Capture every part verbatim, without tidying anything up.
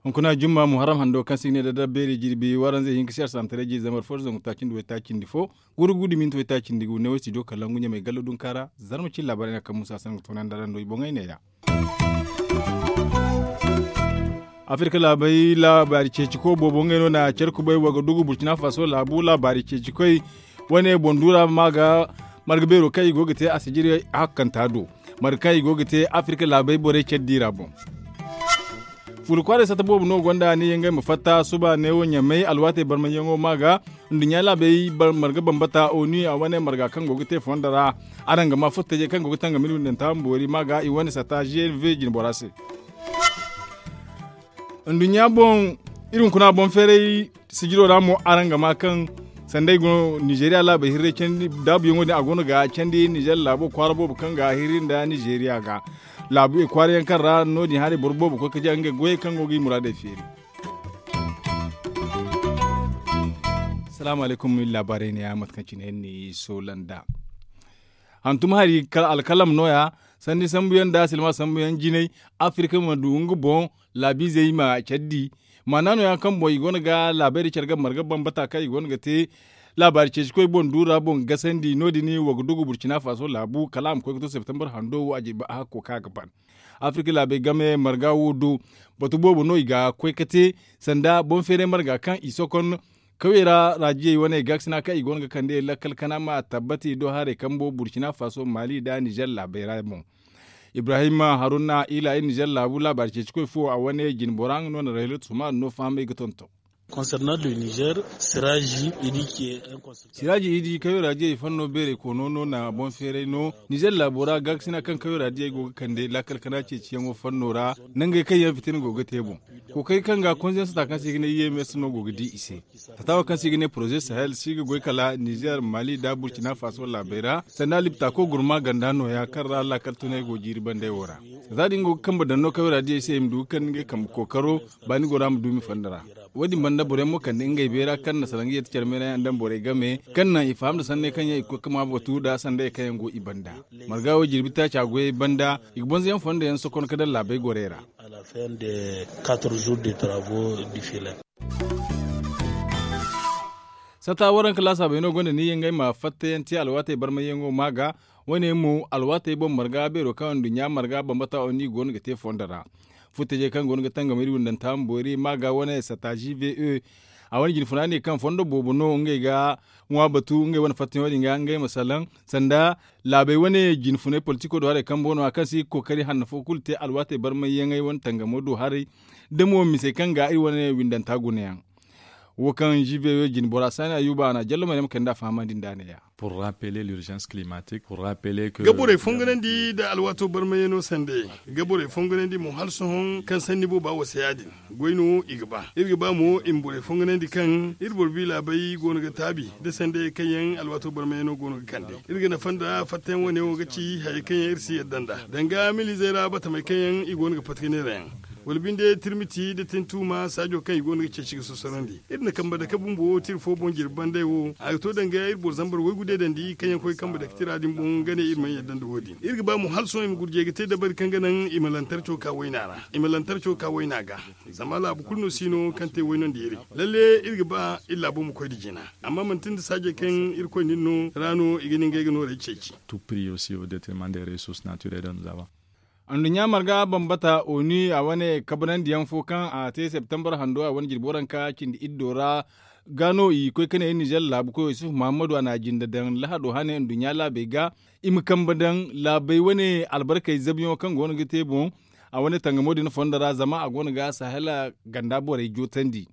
Hunkuna jumma muharram hando kaŋ se i ga ne da dabbeeri jirbi waranzey hinka se arsaham taray jiiri zambar fo zangu taaci nda waytaaci nda fo, gurugu da minti waytaaci nda gu ne wo studio kalangu ɲamay gallo dunka ra. Zarma cine laabaarey no kaŋ musa sangu toonandi araŋ do i boŋey neeya. Afirka laabey laabaari ceeci koy boobo ngey no na care kubay wagadugu burkina faso laabu laabaari ceeci koy wane boŋ duura ma ga marga beero kaŋ i go ga te a sijiri hakkanta do marga kaŋ i go ga te afirka laabey borey care diira boŋ. Furu kwaaray sata boobo no gonda ni yangay ma fatta suba neewo ɲamay alwaatey barmayyaŋo ma ga nduɲɲa laabey marga bambata oni a wane marga kaŋ go ga te fondo ra. Araŋ ga ma furtajey kaŋ go ga tangam iri windanta boori ma ga i wane sata g n v jinbora se. Nduɲɲa boŋ iri hunkuna boŋ feeray sijiro ra mo araŋ ga ma kaŋ sanda i go no nizeriya laabey hirray candi daabuyaŋo din a go no ga candi nizer laabo kwaara boobo kaŋ ga hirri nda nizeriya ga laabu i kwaara yaŋ kaŋ ra no- din haray boro boobo koy ka di ngey goyey kaŋ go ga i muraadey feeri. Salaamu alaykum iri laabaarey ne ya mate kaŋ cine iri n'i soola nd'a. Hantum hari alkalam no- ya sanni sambu yaŋ nda silma sambu yaŋ jinay afirka ma du nga boŋ laabiizey ma care di. Maana no- ya kaŋ boŋ i go no ga laabey da care ga marga bambata kaŋ i go no ga te laabaari ceeci koy boŋ duura boŋ gasandi no- din wa ga dugu burcina faso laabu kala a ma koy ga to septembar hando wo a jirbi a hakko kaŋ a ga ban. Afirka laabey game marga wo do batu boobo no i ga koy ga te sanda boŋ feeray marga kaŋ i sokon kawyey ra raajiyey wane gaakasina kaŋ i go no ga kande lakkal kana ma tabbati do haray kambo burkina faso mali nda nizer laabey ra boŋ. Ibrahim haruna ila iri nizer laabu laabaari ceeci koy fo a wane jinbora nga no na rahilatu suma no fahamay ga tonton. Siraaji idi kayo raadiyey fanno beerey koono no na boŋ feeray no nizer laabo ra gaakasina kaŋ kayo raadiyey go ga kande laakal kana ceeciyaŋo fanno ra nangey kaŋ yaŋ fitina go ga te boŋ. Kookari kaŋ ga konzensata kaŋ se i ga ne i m s no go ga di i se. Tataawa kaŋ se i ga ne poroze sahel si ga goy kala nizer mali nda burkina faso laabey ra sanda liptako gurma ganda no- ya kaŋ ra laakal tunay go jiiri bandey wo ra. Za din go ga kambe daŋ no kayo raadiyey se i ma du ga kande ngey kambe kookaro baani go ra ma duumi fondo ra. Wo- din banda boro yaŋ mo kande ngey beera kaŋ na salaŋ ga yeeti care meera yaŋ daŋ borey game kaŋ naŋ i faham nda sanney kaŋ yaŋ i ga koy ga ma batu nda sandayey kaŋ yaŋ go i banda. Marga wo jirbi taaca goyey banda i ga bonzo yaŋ fondo yaŋ sokon ga daŋ laabey gorey ra. Sata waranka laasaabey no gonda ni yaŋ ngey ma fattayaŋ te alwaatey barmayyaŋo ma ga. Wane mo alwaatey boŋ marga beero kaŋ nduɲɲa marga bambata oni go no ga te fondo ra. Futtajey kaŋ go no ga tangam iri windanta ma boori ma ga wane sata g v e. A wane jinfuna ne kaŋ fondo boobo no ngey ga ŋwa batu ngey wane fattayaŋo din ga ngey ma salaŋ sanda laabey wane jinfunay politiko do haray kambo no a kaŋ se i ga kookari hanno fo kulu te alwaatey barmayyaŋey wane tangamo do haray. Da mo misey kaŋ ga iri wane windanta gunayaŋ. Wo kaŋ g v o jinbora saani ayuba a na jallo maryam kayndi a fahamandi nd'a ne- ya. Pour rappeler l'urgence climatique pour rappeler que ga borey fonganandi nda alwaato barmayaŋo sande ga borey fonganandi mo hala sohõ kaŋ sanni booba wasa ya- din. Goy no i ga ba iri ga ba mo i ma borey fonganandi kaŋ iri boro bi laabey go no ga taabi nda sandayey kaŋ yaŋ alwaato barmayaŋo go no ga kande. Iri ga nafa nda fattayaŋ wane wo ga ci hayey kaŋ yaŋ iri si yadda nd'a danga milizey ra batamey kaŋ yaŋ i go no ga pati ga neera yaŋ. Wala binde tirmiti nda tintuuma saajo kaŋ i go no ga ceeci ga sosorondi iri na kambe dake bumbo tira fo boŋ jirbi banday wo a ga to danga iri boro zambar waygu deedandi kaŋ yaŋ koy kambe dake tira din boŋ ga ne iri mana yadda nda wo- din iri ga ba mo hala sohõ i ma gurjey ga te dabari kaŋ ga naŋ i ma lantarco ka wayna ra i ma lantarco ka wayna ga. Zama laabu kulu no si no kaŋ te waynandi iri lalle iri ga ba iri laabo ma koy nda jina. Amma manti nda saajey kaŋ irkoy na iri no ra no i ga ne ngey ga noorey ceeci. Tout prix aussi au détriment des ressources naturelles de nous avons. Anduɲɲa marga bambata oni a wane kabanandiyaŋ fo kaŋ a te septembar hando a wane jirbi waranka cindi iddo ra ga no i koy ka ne nizer laabu koyo yusuf muhammadu a na jinda daŋ lahado hane anduɲɲa laabey ga i ma kambe daŋ laabey wane albarkey zabuyaŋo kaŋ go no ga te boŋ. A wane tangamo din fondo ra zama a go no ga sahela ganda borey jootandi.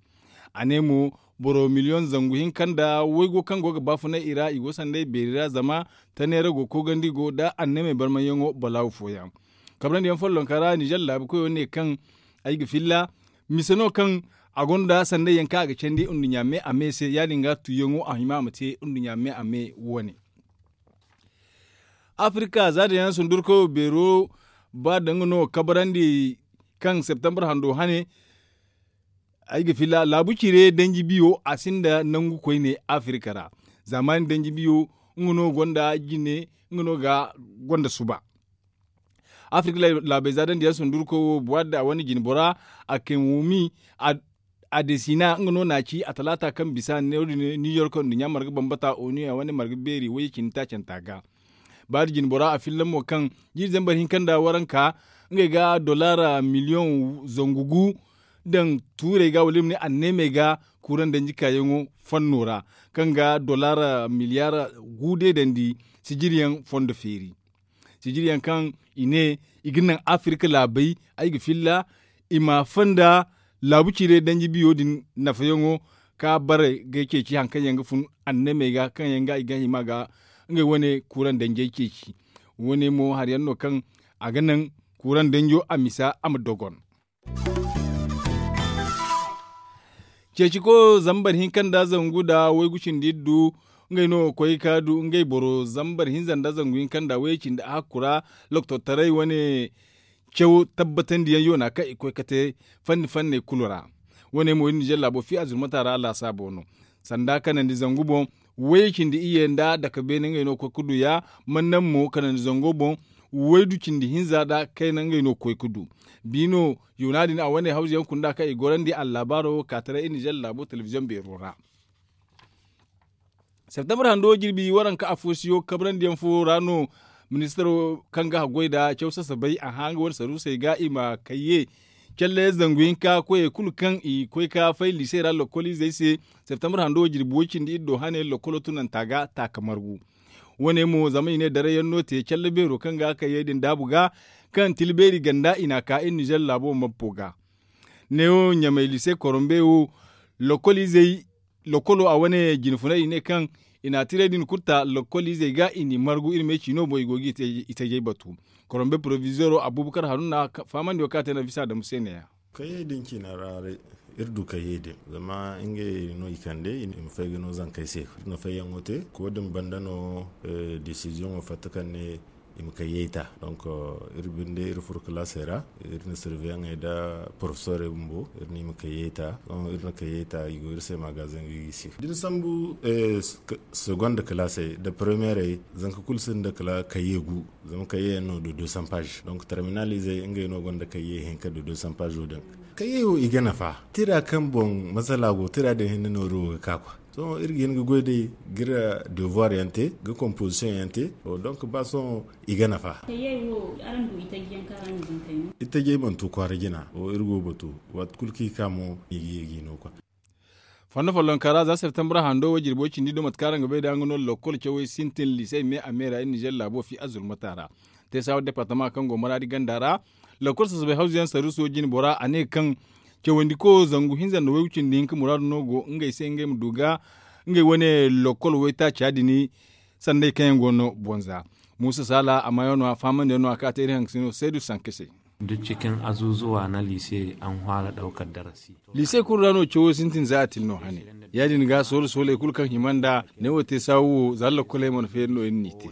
A ne mo boro miliyoŋ zangu hinka nda waygo kaŋ go ga baafunay i ra i go sanday beeri ra zama taneera go koogandi go nda annamey barmayyaŋo balaawu fooyaŋ. Kabrandi yaŋ follonka ra nizer laabu koyo ne kaŋ ay ga filla mise no kaŋ a gonda sanday yaŋ kaŋ a ga candi nduɲɲa me a me se ya- din ga tuuyaŋo a hima a ma te nduɲɲa me a me wane. Afirika za din yaŋ sundurkoyo beero ba danga no kabrandi kaŋ septembar hando hane. ay ga filla laabu cire danji biyo a sinda nangu koyne afirika ra. Zaamaani danji biyo nga no gonda jine nga no ga gonda suba. Afirka laabey za daŋ diyaŋ sundurkoy wo buwaadda a wane jinbora a kay wumi. A desina nga no na a ci a talaata kaŋ bisa ne wo- din new york nduɲɲa marga bambata onu a wane marga beeri wayye cindi taacanta ga. Baari jinbora a filla mo kaŋ jiiri zambar hinka nda waranka ngey ga dollar miliyoŋ zangu gu daŋ tuurey ga wala i ma ne anneemey ga. Kuuraŋ danji kaayaŋo fanno ra kaŋ ga dollar miliyaar gu deedandi sijiriyaŋ fondo feeri. Sijiriyaŋ kaŋ i ne i ga naŋ afirka laabey ay ga filla i ma fonda laabu cire danji biyo din nafayaŋo ka bare ga ceeci hari kaŋ yaŋ ga fun anneemey ga kaŋ yaŋ ga i ga hima ga ngey wane kuuraŋ danjey ceeci. Wane mo hari yaŋ no kaŋ a ga naŋ kuuraŋ danjo a misa a ma dogon. Ceeci ko zambar hinka nda zangu nda waygu cindi iddu ngey no ga koy ga du ngey boro zambar hinza nda zangu hinka nda wayye cindi a hakku ra. Loktortaray wane caw tabbatandiyaŋ yoona kaŋ i ga koy ga te fanni fanney kulu ra. Wane mo iri nizer laabo fi a zurmata ra a laasaabo no sanda kanandi zangu boŋ wayye cindi iyye nda dake beene ngey no ga koy ga du ya. Mannaŋ mo kanandi zango boŋ waydu cindi hinza nda kayna ngey no ga koy ga du. Bi no yoona din a wane hawza yaŋ kunda kaŋ i gorandi allaabaaro wo ga ka taray iri nizer laabo telebiziyoŋ beero ra. Septembre hando jirbi waranka afo siyo kabrandi yaŋ fo ra no ministaro kaŋ ga haggoy nda caw sasabay a hã nga wane saruusey ga i ma kayye calle zangu hinka koyey kulu kaŋ i koy ga fay liise ra lokoliizey se. Septembre hando jirbi way cindi iri do hane lokolo tunanta ga taaka margu. Wane mo zama i ne daray yaŋ no te calle beero kaŋ ga kayyey din daabu ga kaŋ tila beeri ganda i n'a ka iri nizer laabo mabbo ga. Neewo ɲamay liise korombe wo lokoliizey lokolo a wane jinfunay i ne kaŋ i n'a tiray din kulu ta lokoliizey ga i n'i margu iri me ciino boŋ i go ga i tajey batu. Korombe porovizeero abuubakar haruna faamandiyo kaŋ a te na bisa adamu se ne- ya. Kayyey din ciina ra iri du kayyey din zama ngey no i kande i ma fay ga no zankey se. Iri na fayyaŋo te ko din banda no desiziyoŋo fatta kaŋ ne i ma kayyey ta. Donk iri binde iri furo kalaasey ra iri na sirveyaŋey nda porofesorey bumbo iri no i ma kayyey ta. Sohõ iri na kayyey ta i go iri se magazeŋ ga i ga i se da ni sambu segonda kalaasey nda premiyeerey zanka kulu sinda kala kayye gu. Zama kayye yaŋ no da deux cents pages donk terminalizey ngey no gonda kayye hinka da deux cents pages wo din. Kayye wo i ga nafa tira kaŋ boŋ masala go tira din hinne nooru wo ga ka kwa. Sohõ iri ga hin ga goy day ga iri devoir yaŋ te ga composition yaŋ te. Donk ba sohõ i ga nafa. Kayye wo araŋ du i tajey yaŋ kaŋ araŋ ga zankey no. I tajey mana tu kwaara jina wo iri go ga batu waati kulu kaŋ i ka mo i ga ye ga i no kwa. Fondo follonka ra za septembre hando wo jirbo cindi do mate kaŋ araŋ ga bay da nga no lokol cawey sintin liisey me a me ra iri nizer laabo fi azurmata ra. Te saawa departama kaŋ go maraadi ganda ra lokol sasabay hawzu yaŋ saruuso jine bora a ne kaŋ cawandi ko zangu hinza nda waygu cindi hinka muraadu no go ngey se ngey ma du ga ngey wane lokol waytaaca din. Sanday kaŋ yaŋ go no bonza muusa saala a maayaŋ no a fahamandi yaŋ no a kaŋ a te iri hangasino saydu sanka se. Duk cikin azuzuwa na liise an hwara daukar darasi. Liise kulu ra no cawo sintin za a tin no hane. Ya- din ga soolu sooley kulu kaŋ hima nd'a ne wo te saawu wo za lakoley mana feeri no iri n'i te.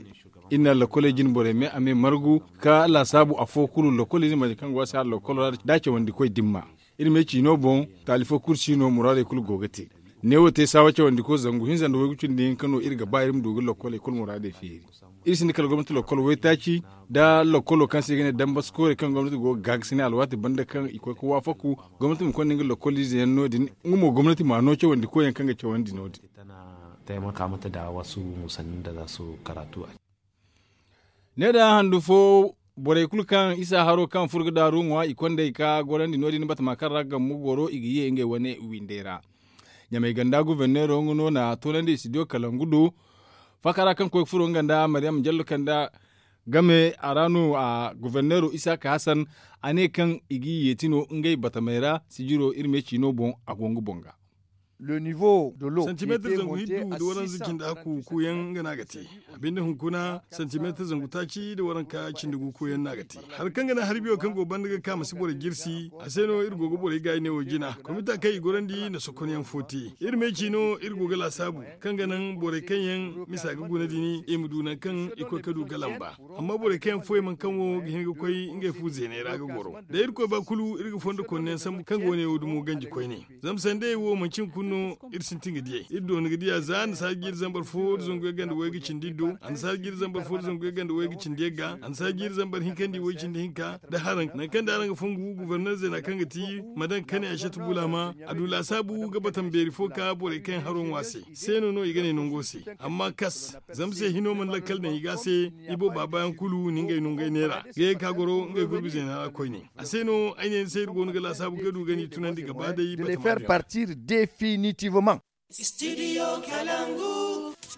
Iri na lakoley jine borey me a me margu ka laasaabu afo kulu lakoliize marje kaŋ go a se hala lakolo ra da cawandikoy dimma. Iri me ciino boŋ taali fo kulu si no muraadey kulu go ga te. Ne wo te saawa cawandiko zangu hinza nda waygu cindi hinka no iri ga ba iri ma du ga lakoley kulu muraadey feeri. Iri sinda kala gomnati lokol waytaaci nda lokolo kaŋ se i ga ne dambaskoore kaŋ gomnati go ga gaagasinay alwaati banda kaŋ i koy ga waafaku gomnati ma konda nga lokoliize yaŋ no- din. Nga mo gomnati ma no cawandi koyyaŋ kaŋ ga cawandi no- din. Taimaka mata da wasu musannin da za su karatu a. Ne da handu fo borey kulu kaŋ isa haro kaŋ furo ga daaru ŋwa i kondey ka gorandi no- din batama kaŋ ra gammu goro i ga ye ngey wane windey ra. Ɲamay ganda guverneero nga no na toonandi studio kalangu do. Fakara kaŋ koy ga furo nga nda mariyam jallo kanda game a ra no a guverneero isaaka hasan a ne kaŋ i g'i yeeti no ngey batamey ra sijiro iri me ciino boŋ a go nga boŋ ga. Santimeetar zangu hiddu da waranza cindi hakku kuuyaŋ nga no a ga te. A binde hunkuna santimeetar zangu taaci da waranka cindi gu kuuyaŋ no a ga te. Hari kaŋ ga naŋ hari biyo kaŋ go banda ga ka ma si borey jirsi a se no iri go ga borey gaayi ne wo jina komita kaŋ i gorandi na sokonyaŋ fo te. Iri me ci no iri go ga laasaabu kaŋ ga naŋ borey kaŋ yaŋ misa ga guna din i ma du nangu kaŋ i koy ga du ga lamba. Amma borey kaŋ yaŋ foy mana kaŋ wo ga hin ga koy ngey fu zeeney ra ga goro da irkoy ba kulu iri ga fondo konneyaŋ sambu kaŋ ga wane wo dumo ganji koyne. Zama sandayey wo manci hunkuna no iri sintin ga diyey iri doona ga diya za annasaara jiiri zambar fo da zangu yagga nda wayga cindi iri do annasaara jiiri zambar fo da zangu yagga nda wayga cindi yagga annasaara jiiri zambar hinka nda i way cindi hinka da haraŋ nangu kaŋ da araŋ ga fongu gubarner zeena kaŋ ga ti madan kane a shatu bulama a du laasaabu ga bata ma beeri fo ka borey kaŋ yaŋ haro ŋwa se. Se no no i ga ne nango se. Amma kas zama se hino mana lakkal daŋ i ga se. I booba baayaŋ kulu ni ngey no ngey neera ga ye ka goro ngey gurbi zeena ra koyne. A se no ay ne ni se iri go no ga laasaabu ga du ga ni tunandi ga ba day bata ma du yaŋ.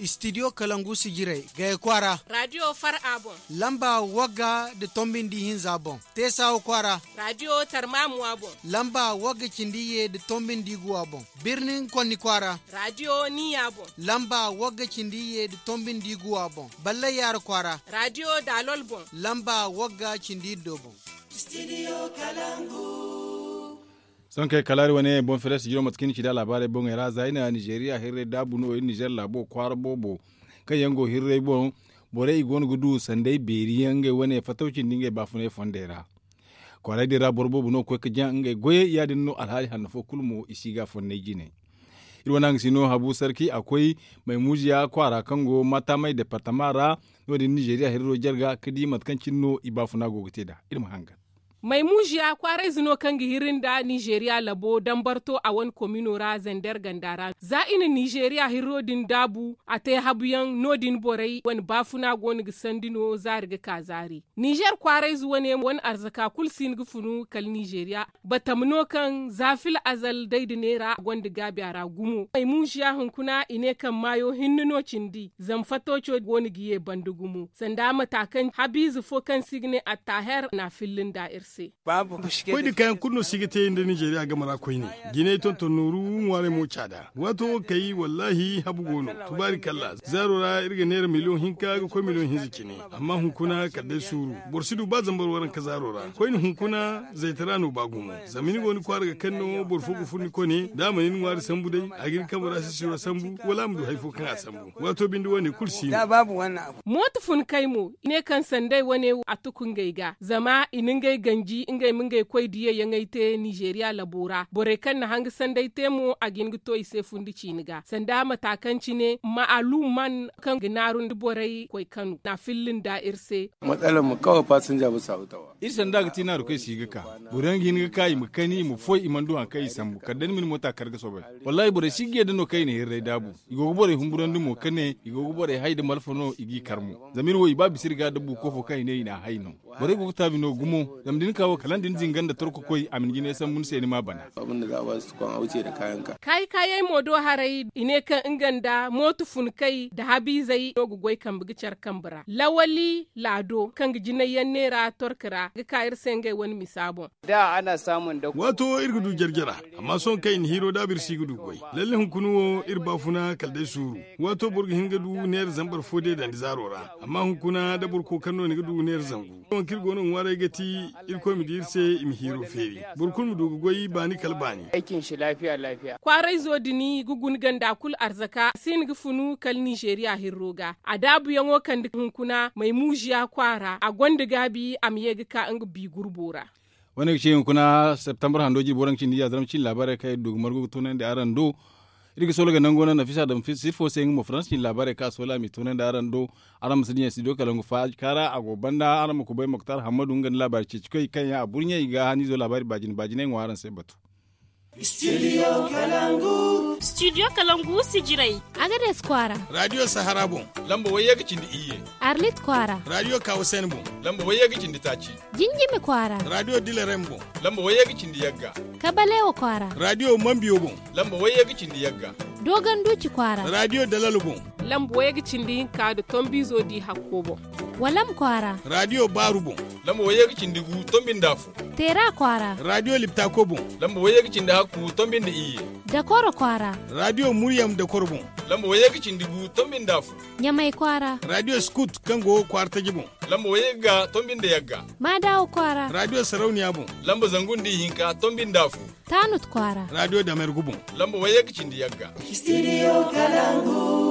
Studio kalangu si jiray gaya kwaara. Raadiyo far a boŋ. Lamba wagga nda tombi nda ihinza boŋ. Teesawa kwaara. Raadiyo tarmamuwa boŋ. Lamba wagga cindi iyye nda tombi nda iguwa boŋ. Birnin konni kwaara. Raadiyo niya boŋ. Lamba wagga cindi iyye nda tombi nda iguwa boŋ. Ballay yaara kwaara. Raadiyo daalol boŋ. Lamba wagga cindi iddo boŋ. Sohõ kay kala hari wane boŋ feres jiro mate kaŋ ni ci da laabaarey boŋey ra za i na nizeeriya hirrey daabu no iri nizeer laabo kwaara boobo kaŋ yaŋ go hirrey boŋ. Borey i go no ga du sanday beeri yaŋ ngey wane fatawci nda ngey baafunay fondey ra. Kwaaray din ra boro boobo no ga koy ga jaŋ ngey goyey ya- din no alhaali hanno fo kulu mo i si ga fonnay jine. Iri wane hangasino habu sarki a koy maymuziya kwaara kaŋ go matamay departama ra. No- din nizeeriya hirro jarga ga di mate kaŋ cine no i baafuna go ga te nd'a. Iri ma hangan. Maymuziya kwaarayze no kaŋ ga hiri nda nizeeriya labo dambarto a wane komino ra zander ganda ra za i na nizeeriya hirro din daabu a te habuyaŋ no- din borey wane baafuna go no ga sandi no zaari ga ka zaari. Nizer kwaarayze wane wane arzaka kulu si hin ga funu kala nizeeriya. Batama no kaŋ za fil azal day nda neera a gonda gaabi a ra gumo ay muuziya hunkuna i ne kaŋ maayo hinne no cindi zama fatooco go no ga ye banda gumo sanda mata kaŋ habiize fo kaŋ se i ga ne attaaher na a filli nda iri se. Koy da kaayaŋ kulu no se i ga te nda nizeeriya game ra koyne. Jinay tonton nooru ŋwaaray mo caada waato wo kay wallaahi habu go no. Tubaari kalla zaaro ra iri ga neera miliyoŋ hinka ga koy miliyoŋ hinza cine. Amma hunkuna kala day suuru boro si du ba zambar waranka zaaro ra koyne hunkuna zaytara no ba gumo. Zama ni go ni kwaara ga kaŋ no boro fo ga furo ni kone da a mana ni ŋwaari sambu day a ga ni kambe ra sisiro sambu wala a ma du hari fo kaŋ a sambu. Waato binde wane kulu si no. Mooto fun kay mo i ne kaŋ sanday wane a tuku ngey ga zama i na ngey ganji ngey ma ngey koy diyayaŋey te nizeeriya labo ra borey kaŋ na hanga sanday te mo a ga hin ga to i se fundi ciini ga sanda mata kaŋ cine ma'aluman kaŋ ga naaru nda borey koy kano na filli nda iri se. Matsala ma kawai fasinja bisa hutawa. Iri sanda ga ti naaru kaŋ si ga ka boro yaŋ ga hin ga ka i ma kani i ma foy i mana du hari kaŋ i sambu kala day ni ma ni moota kar ga soobay. Wallaahi borey si ga yadda no kaŋ i na hirray daabu. I go ga borey humburandi mo ka ne i go ga borey hay nda malfa no i g'i kar mo. Zama iri wo i ba bisa iri ga da buuko fo kaŋ i ne i n'a hay no. Borey go ga taabi no gumo zama da ni ka wo kala nda ni zinga nda torkokoy a ma ni jinay sambu ni se ni m'a bana. Kaayi kaayey mo do haray i ne kaŋ nga nda mooto funkey nda habiizey no ga goy kambe ga care kambe ra lawali laado kaŋ ga jinayyaŋ neera torka ra ga ka iri se ngey wane misa boŋ. Waato iri ga du jarjara. Amma sohõ kaŋ i na hiiro daabu iri si ga du goy. Lalle hunkuna wo iri baafuna kala day suuru. Waato boro ga hin ga du neera zambar fo deedandi zaaro ra amma hunkuna da boro kookari no ni ga du neera zangu. Wo kaŋ iri go no ga ŋwaaray ga ti irkoy ma di iri se i ma hiiro feeri. Boro kulu ma du ga goy baani kala baani. Kwaarayzo din ga guna ganda kulu arzaka a si hin ga funu kala nizeeriya hirro ga a daabuyaŋo kande hunkuna maymuuziya kwaara a gonda gaabi a ma ye ga ka nga bi gurbo ra. Wane ga ci hunkuna septembre hando jirbi waranka cindi ya zarma cine laabaarey kaŋ iri du ga margu ga toonandi araŋ do. Iri ga soola ga nango naŋ nafisa daŋ sirfo se nga mo faransa cine laabaarey kaŋ a soola a m'i toonandi araŋ do. Araŋ ma si dinya studio kalangu faaka ra a go banda araŋ ma kubay moktar hammadu nga nda laabaari ceeci koy kaŋ yaŋ a burɲey ga haniizo laabaari baajine baajiney ŋwa araŋ se batu. Studio kalangu si jiray. Agades kwaara. Raadiyo sahara boŋ. Lamba wayye ga cindi iyye. Arlit kwaara. Raadiyo kawasen boŋ. Lamba wayye ga cindi taaci. Jinjimi kwaara. Raadiyo dilarem boŋ. Lamba wayye ga cindi yagga. Kabalewa kwaara. Raadiyo mambiyo boŋ. Lamba wayye ga cindi yagga. Dooganduuci kwaara. Raadiyo dalal boŋ. Lamba wayye ga cindi hinka nda tombiizo di hakko boŋ. Walam kwaara. Raadiyo baaru boŋ. Lamba wayye ga cindi gu tombi nda afo. Teera kwaara. Raadiyo liptako boŋ. Lamba wayye ga cindi hakku tombi nda iyye. Dakoro kwaara. Raadiyo muryam dakoro boŋ. Lamba wayye ga cindi gu tombi nda afo. Ɲamay kwaara. Raadiyo skut kaŋ go kwaara taji boŋ. Lamba wayye ga tombi nda yagga. Maadaawo kwaara. Raadiyo sarauniya boŋ. Lamba zangu nda ihinka tombi nda afo. Taanut kwaara. Raadiyo damergu boŋ. Lamba wayye ga cindi yagga. Studio kalangu.